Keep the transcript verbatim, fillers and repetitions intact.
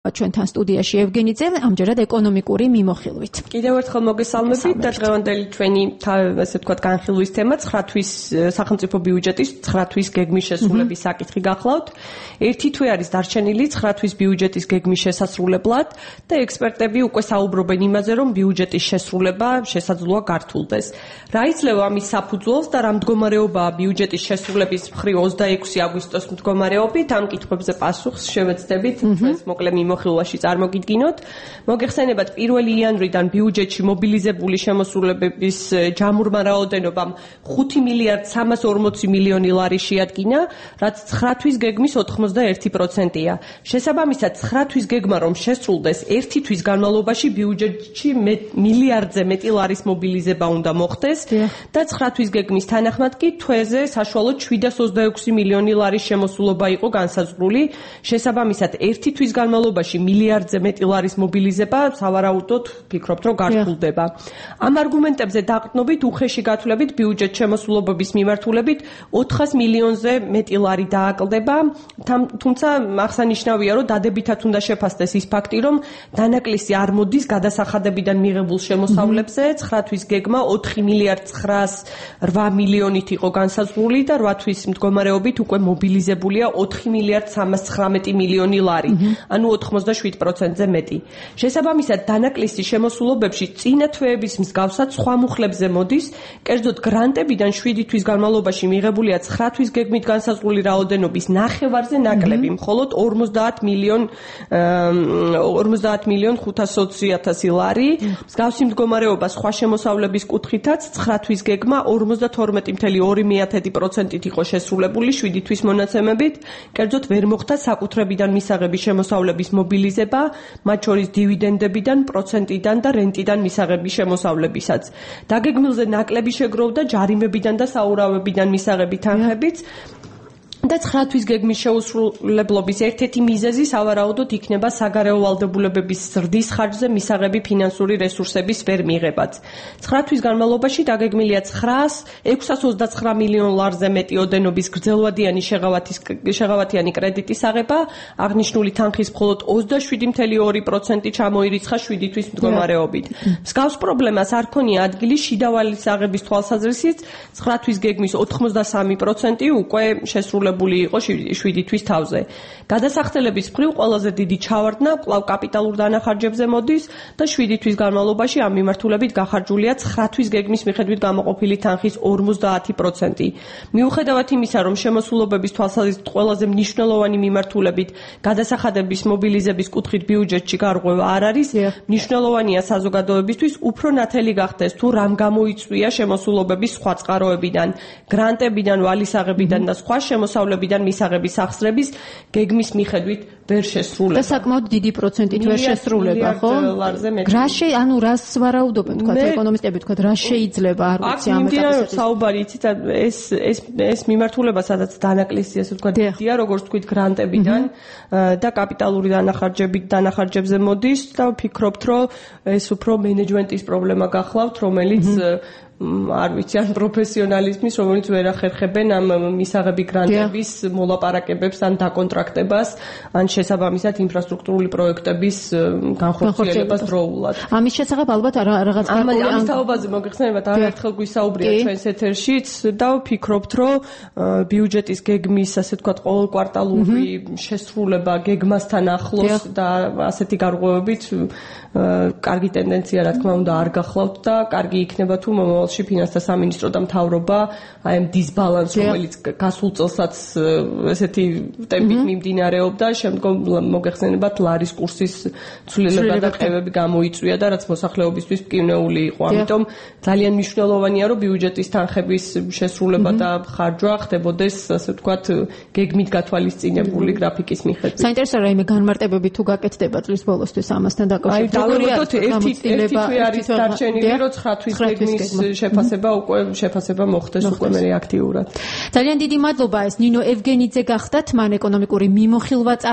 ჩვენთან სტუდიაში ევგენიძე, ამჯერად ეკონომიკური მიმოხილვით. კიდევ ერთხელ მოგესალმებით და დღევანდელი ჩვენი ასე ვთქვათ განხილვის თემა ცხრა თვის სახელმწიფო ბიუჯეტის ცხრა თვის გეგმის შესრულების საკითხი გახლავთ. ერთი თვე არის დარჩენილი ცხრა თვის ბიუჯეტის გეგმის შესასრულებლად და ექსპერტები უკვე საუბრობენ იმაზე, რომ ბიუჯეტის შესრულება შესაძლოა გართულდეს. რა იძლევა ამის საფუძველს და რა მდგომარეობაა ბიუჯეტის შესრულების მხრივ ოცდაექვსი აგვისტოს მდგომარეობით? ამ კითხვებზე პასუხს შევეცდებით ჩვენს მოკლე მიმოხილვაში წარმოგიდგინოთ. მოგეხსენებათ პირველი იანვრიდან ბიუჯეტში მობილიზებული შემოსრულებების ჯამურმა რაოდენობამ ხუთი მილიარდი სამას ორმოცი მილიონი ლარი შეადგინა, რაც ცხრა თვის გეგმის ოთხმოცდაერთი პროცენტია. შესაბამისად, ცხრა თვის გეგმა რომ შესრულდეს, ერთი თვის განმავლობაში ბიუჯეტში მილიარდზე მეტი ლარის მობილიზება უნდა მოხდეს და ცხრა თვის გეგმის თანახმად კი თვეზე საშუალოდ შვიდას ოცდაექვსი მილიონი ლარის შემოსულობა იყო განსაზღვრული. შესაბამისად, ერთი თვის განმავლობაში მილიარდზე მეტი ლარის მობილიზება სავარაუდოდ ფიქრობთ, რომ გართულდება. ამ არგუმენტებზე დაყრდნობით უხეში გათვლებით ბიუჯეტ შემოსულობების მიმართულებით ოთხას მილიონზე მეტი ლარი დააკლდება, თუმცა აღსანიშნავია, რომ დადებითად უნდა შეფასდეს ის ფაქტი, რომ დანაკლისი არ მოდის გადასახადებიდან მიღებულ შემოსავლებზე, ცხრა თვის გეგმა ოთხი მილიარდი ცხრაას რვა მილიონით იყო განსაზღვრული და რვა თვის მდგომარეობით უკვე მობილიზებულია ოთხი მილიარდი სამას ცხრამეტი მილიონი ლარი, ანუ ოთხმოცდაშვიდ პროცენტზე მეტი. შესაბამისად, დანაკლისი შემოსულობებში წინა თვეების მსგავსად სხვა მუხლებზე მოდის, კერძოდ გრანტებიდან შვიდი თვის განმავლობაში მიღებულია ცხრა თვის გეგმით განსაზღვრული რაოდენობის ნახევარზე ნაკლები, მხოლოდ ორმოცდაათ მილიონ ხუთას ოცი ათასი ლარი. მსგავსი მდგომარეობა სხვა შემოსავლების კუთხითაც ცხრა თვის გეგმა ორმოცდათორმეტი კoma ორი პროცენტით იყო შესრულებული შვიდი თვის მონაცემებით, კერძოდ ვერ მოხდა საკუთრებიდან მისაღები შემოსავლების მობილიზება, მათ შორის დივიდენდებიდან, პროცენტიდან და რენტიდან მისაღების შემოსავლებისაც. დაგეგმილზე ნაკლები შეგროვდა ჯარიმებიდან და საურავებიდან მისაღები თანხებიც. და ცხრა თვის გეგმის შეუსრულებლობის ერთ-ერთი მიზეზი სავარაუდოდ იქნება საგარეო ვალდებულებების ზრდის ხარჯზე მისაღები ფინანსური რესურსების ვერ მიღებაც. ცხრა თვის განმავლობაში დაგეგმილია ცხრაას ექვსას ოცდაცხრა მილიონ ლარზე მეტი ოდენობის გრძელვადიანი შეღავათიანი კრედიტის აღება, აღნიშნული თანხის მხოლოდ ოცდაშვიდი კoma ორი პროცენტი ჩამოირიცხა შვიდი თვის მდგომარეობით. მსგავს პრობლემას არ ქონია ადგილი შიდა ვალის აღების თვალსაზრისით, ცხრა თვის გეგმის ოთხმოცდასამი პროცენტი უკვე შესრულებული იყო შვიდი თვის თავზე. გადასახდელების მხრივ ყველაზე დიდი ჩავარდნა კვლავ კაპიტალურ დანახარჯებზე მოდის და შვიდი თვის განმავლობაში ამ მიმართულებით გახარჯულია ცხრა თვის გეგმის მიხედვით გამოყოფილი თანხის ორმოცდაათი პროცენტი. მიუხედავად იმისა, რომ შემოსულობების თვალსაზრისით ყველაზე მნიშვნელოვანი მიმართულებით გადასახადების მობილიზების კუთხით ბიუჯეტში გარღვევა არ არის, მნიშვნელოვანია საზოგადოებისთვის უფრო ნათელი გახდეს თუ რამ გამოიწვია შემოსულობების სხვა წყაროებიდან, გრანტებიდან, ვალის აღებიდან და სხვა შემოსავლებიდან მისაღების სახსრების გეგმის მიხედვით ვერ შესრულება. და საკმაოდ დიდი პროცენტით ვერ შესრულება, ხო? რა შე, ანუ რას ვარაუდობენ, თქვათ ეკონომისტები, თქვათ რა შეიძლება, არ ვიცი ამ ეტაპზე. საუბარი იცით, ეს ეს ეს მიმართულება, სადაც დანაკლისი, ასე ვთქვათ, დია, როგორც თქვით, გრანტებიდან და კაპიტალური დანახარჯებით დანახარჯებზე მოდის და ვფიქრობთ, რომ ეს უფრო მენეჯმენტის პრობლემა გახლავთ, რომელიც არ ვიცი, ან პროფესიონალიზმის, რომელიც ვერ ახერხებენ ამ მისაღები გრანტების მოლაპარაკებებს ან დაკონტრაქტებას, ან შესაბამისად ინფრასტრუქტურული პროექტების განხორციელებას დროულად. ამის შესახებ ალბათ რაღაც ამის თაობაზე მოგეხსენებათ, არაერთხელ გვისაუბრია ჩვენს ეთერშიც და ვფიქრობთ, რომ ბიუჯეტის გეგმის, ასე ვთქვათ, ყოველკვარტალური შესრულება გეგმასთან ახლოს და ასეთი გარღვევებით კარგი ტენდენცია, რა თქმა უნდა, არ გახლავთ და კარგი იქნება თუ მომავალში ფინანსთა სამინისტრო და მთავრობა აი ამ დისბალანსს, რომელიც გასულ წელსაც ესეთი ტემპით მიმდინარეობდა, შემდგომ მოგეხსენებათ ლარის კურსის ცვლილება და ყევები გამოიწვია და რაც მოსახლეობისთვის მკვნეული იყო. ამიტომ ძალიან მნიშვნელოვანია, რომ ბიუჯეტის თანხების შესრულება და ხარჯვა ხდებოდეს, ასე ვთქვათ, გეგმით გათვალისწინებული გრაფიკის მიხედვით. საინტერესოა რაიმე განმარტებები თუ გაკეთდება წლის ბოლოსთვის ამასთან დაკავშირებით. დავუკვირდეთ ერთი ერთი თვე არის დარჩენილი, რომ ცხრა თვის გეგმის შეფასება უკვე შეფასება მოხდეს უკვე მე აქტიურად. ძალიან დიდი მადლობა, ეს ნინო ევგენიძე გახდათ, მან ეკონომიკური მიმოხილვა